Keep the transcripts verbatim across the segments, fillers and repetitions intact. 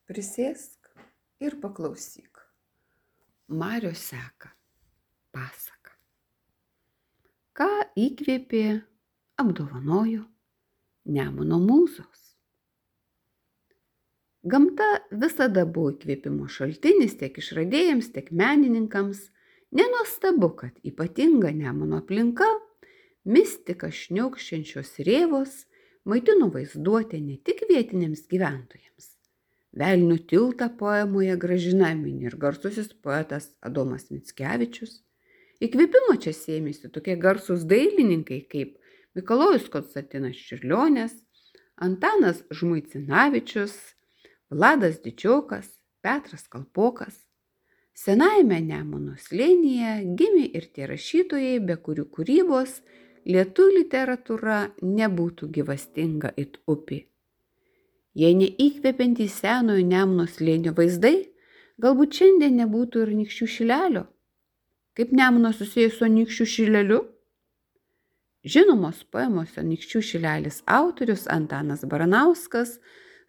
Prisėsk ir paklausyk. Marių seka pasaka. Ką įkvėpė, apdovanojo Nemuno mūzos. Gamta visada buvo įkvėpimo šaltinis tiek išradėjams, tiek menininkams. Nenuostabu, kad ypatinga Nemuno aplinka, mistika šniokščiančios rėvos maitino vaizduotę ne tik vietiniams gyventojams. Velnių tiltą poemoje gražina mini ir garsusis poetas Adomas Mickevičius. Įkvėpimo čia sėmėsi tokie garsūs dailininkai kaip Mikalojus Konstantinas Čiurlionis, Antanas Žmuidzinavičius, Vladas Didžiokas, Petras Kalpokas. Senajame Nemuno slėnyje gimė ir tie rašytojai, be kurių kūrybos lietuvių literatūra nebūtų gyvastinga it upė. Jei neįkvepiantys senojo Nemuno slėnio vaizdai, galbūt šiandien nebūtų ir Anykščių šilelio. Kaip Nemunas susijęs su Anykščių šileliu? Žinomos poemos Anykščių šilelis autorius Antanas Baranauskas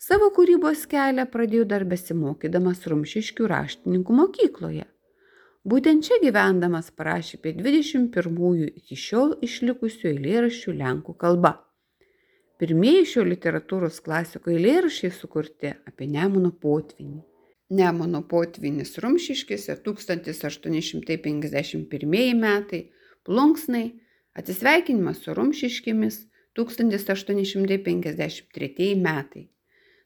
savo kūrybos kelią pradėjo dar besimokydamas Rumšiškių raštininkų mokykloje. Būtent čia gyvendamas parašė apie dvidešimt pirmųjų iki šiol išlikusių eilėraščių lenkų kalba. Pirmieji šio literatūros klasiko eilėraščiai sukurti apie Nemuno potvynį. Nemuno potvynis Rumšiškėse tūkstantis aštuoni šimtai penkiasdešimt pirmieji metai, plunksnai, atsisveikinimas su Rumšiškėmis tūkstantis aštuoni šimtai penkiasdešimt tretieji metai.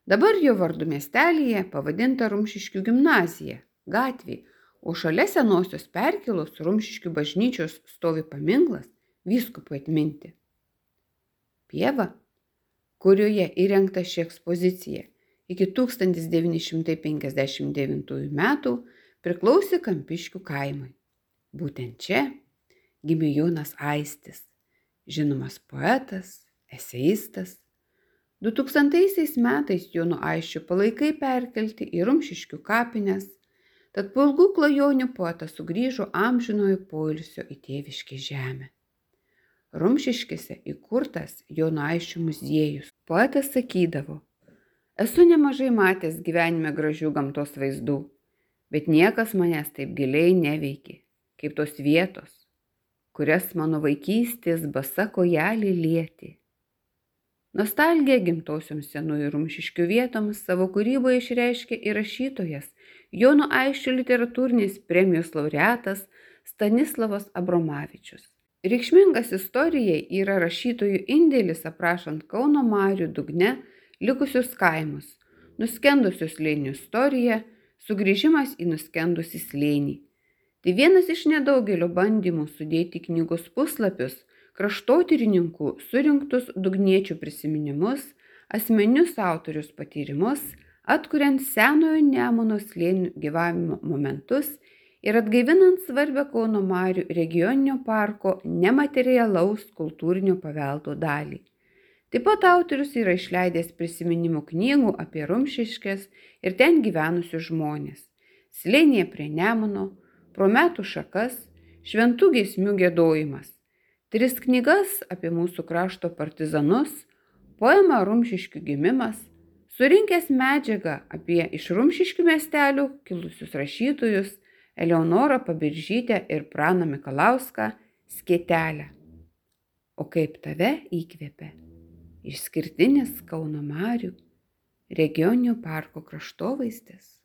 Dabar jo vardu miestelyje pavadinta Rumšiškių gimnazija, gatvė, o šalia senosios perkėlos Rumšiškių bažnyčios stovi paminklas vyskupui atminti. Pieva, kurioje įrengta ši ekspozicija, iki tūkstantis devyni šimtai penkiasdešimt devintųjų metų priklausė Kampiškių kaimui. Būtent čia gimė Jonas Aistis, žinomas poetas, eseistas. du tūkstantaisiais metais Jono Aisčio palaikai perkelti į Rumšiškių kapines, tad po ilgų klajonių poetas sugrįžo amžinojo poilsio į tėviškę žemę. Rumšiškėse įkurtas Jono Aisčio muziejus. Poetas sakydavo: esu nemažai matęs gyvenime gražių gamtos vaizdų, bet niekas manęs taip giliai neveikė, kaip tos vietos, kurias mano vaikystės basa kojelė lietė. Nostalgiją gimtosioms senųjų Rumšiškių vietoms savo kūryboje išreiškė ir rašytojas, Jono Aisčio literatūrinės premijos laureatas Stanislavas Abromavičius. Reikšmingas istorijai yra rašytojų indėlis aprašant Kauno marių dugne likusius kaimus, nuskendusius slėnių istoriją, sugrįžimas į nuskendusį slėnį. Tai vienas iš nedaugelio bandymų sudėti knygos puslapius kraštotyrininkų surinktus dugniečių prisiminimus, asmeninius autorius patyrimus, atkuriant senojo Nemuno slėnių gyvavimo momentus ir atgaivinant svarbę Kauno marių regioninio parko nematerialaus kultūrinio paveldo dalį. Taip pat autorius yra išleidęs prisiminimų knygų apie Rumšiškes ir ten gyvenusius žmonės. Slėnyje prie Nemuno, pro metų šakas, šventų giesmių giedojimas. Tris knygas apie mūsų krašto partizanus, poemą Rumšiškių gimimas, surinkęs medžiagą apie iš Rumšiškių miestelių kilusius rašytojus Eleonorą Pabiržytę ir Praną Mikalauską Skėtelę. O kaip tave įkvėpė išskirtinis Kauno marių regioninio parko kraštovaizdis?